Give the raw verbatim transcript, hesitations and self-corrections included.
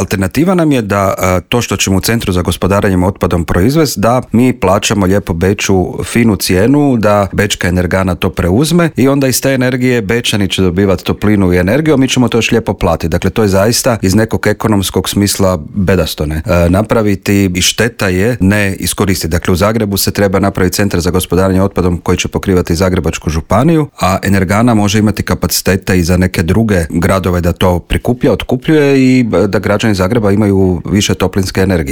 alternativa nam je da to što ćemo u Centru za gospodarenjem otpadom proizvesti, da mi plaćamo lijepo Beču finu cijenu, da Bečka Energana to preuzme i onda iz te energije Bečani će dobivati toplinu i energiju, a mi ćemo to još lijepo platiti. Dakle, to je zaista iz nekog ekonomskog smisla bedastone. E, napraviti i šteta je ne iskoristiti. Dakle, u Zagrebu se treba napraviti Centar za gospodarenje otpadom koji će pokrivati Zagrebačku županiju, a Energana može imati kapacitete i za neke druge gradove da to prikuplja, otkupljuje i da građani Zagreba imaju više toplinske energije.